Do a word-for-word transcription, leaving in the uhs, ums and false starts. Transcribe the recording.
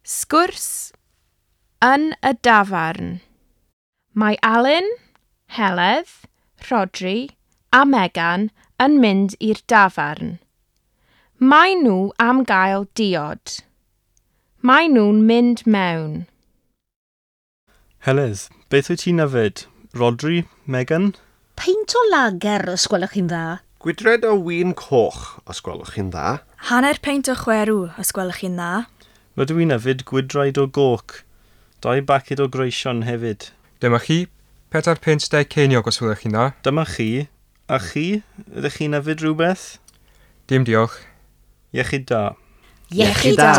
Sgwrs yn y dafarn. Mae Alun, Heledd, Rhodri a Megan yn mynd i'r dafarn. Maen nhw am gael diod. Maen nhw'n mynd mewn. Heledd, beth wyt ti'n yfed? Rhodri, Megan? Peint o lager, os gwelwch chi'n dda. Gwydred o win coch, os gwelwch chi'n dda. Hanner peint o chwerw, os gwelwch chi'n dda. Rydw i'n yfed gwydraid o goc. Dau baced o greision hefyd. Dyma chi, pedair punt deg ceiniog os gwelwch chi'n dda. Dyma chi. A chi? Ydych chi'n yfed rhywbeth? Dim diolch. Iechyd da. Iechyd da.